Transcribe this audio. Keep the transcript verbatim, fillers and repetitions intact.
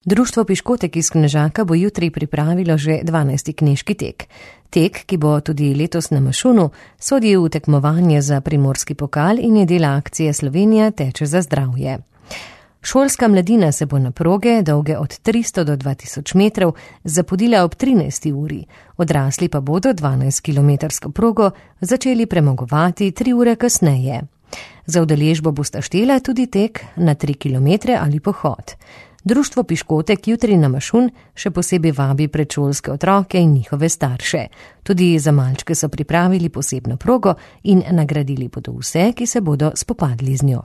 Društvo Piškotek iz Knežaka bo jutri pripravilo že dvanajsti knežki tek. Tek, ki bo tudi letos na Mašunu, sodi v tekmovanje za primorski pokal in je del akcije Slovenija teče za zdravje. Šolska mladina se bo na proge, dolge od tristo do dva tisoč metrov, zapodila ob trinajsti uri, odrasli pa bodo dvanajstkilometrsko progo začeli premagovati tri ure kasneje. Za udeležbo bosta štela tudi tek na tri kilometre ali pohod. Društvo Piškotek jutri na Mašun še posebej vabi predšolske otroke in njihove starše. Tudi za malčke so pripravili posebno progo in nagradili bodo vse, ki se bodo spopadli z njo.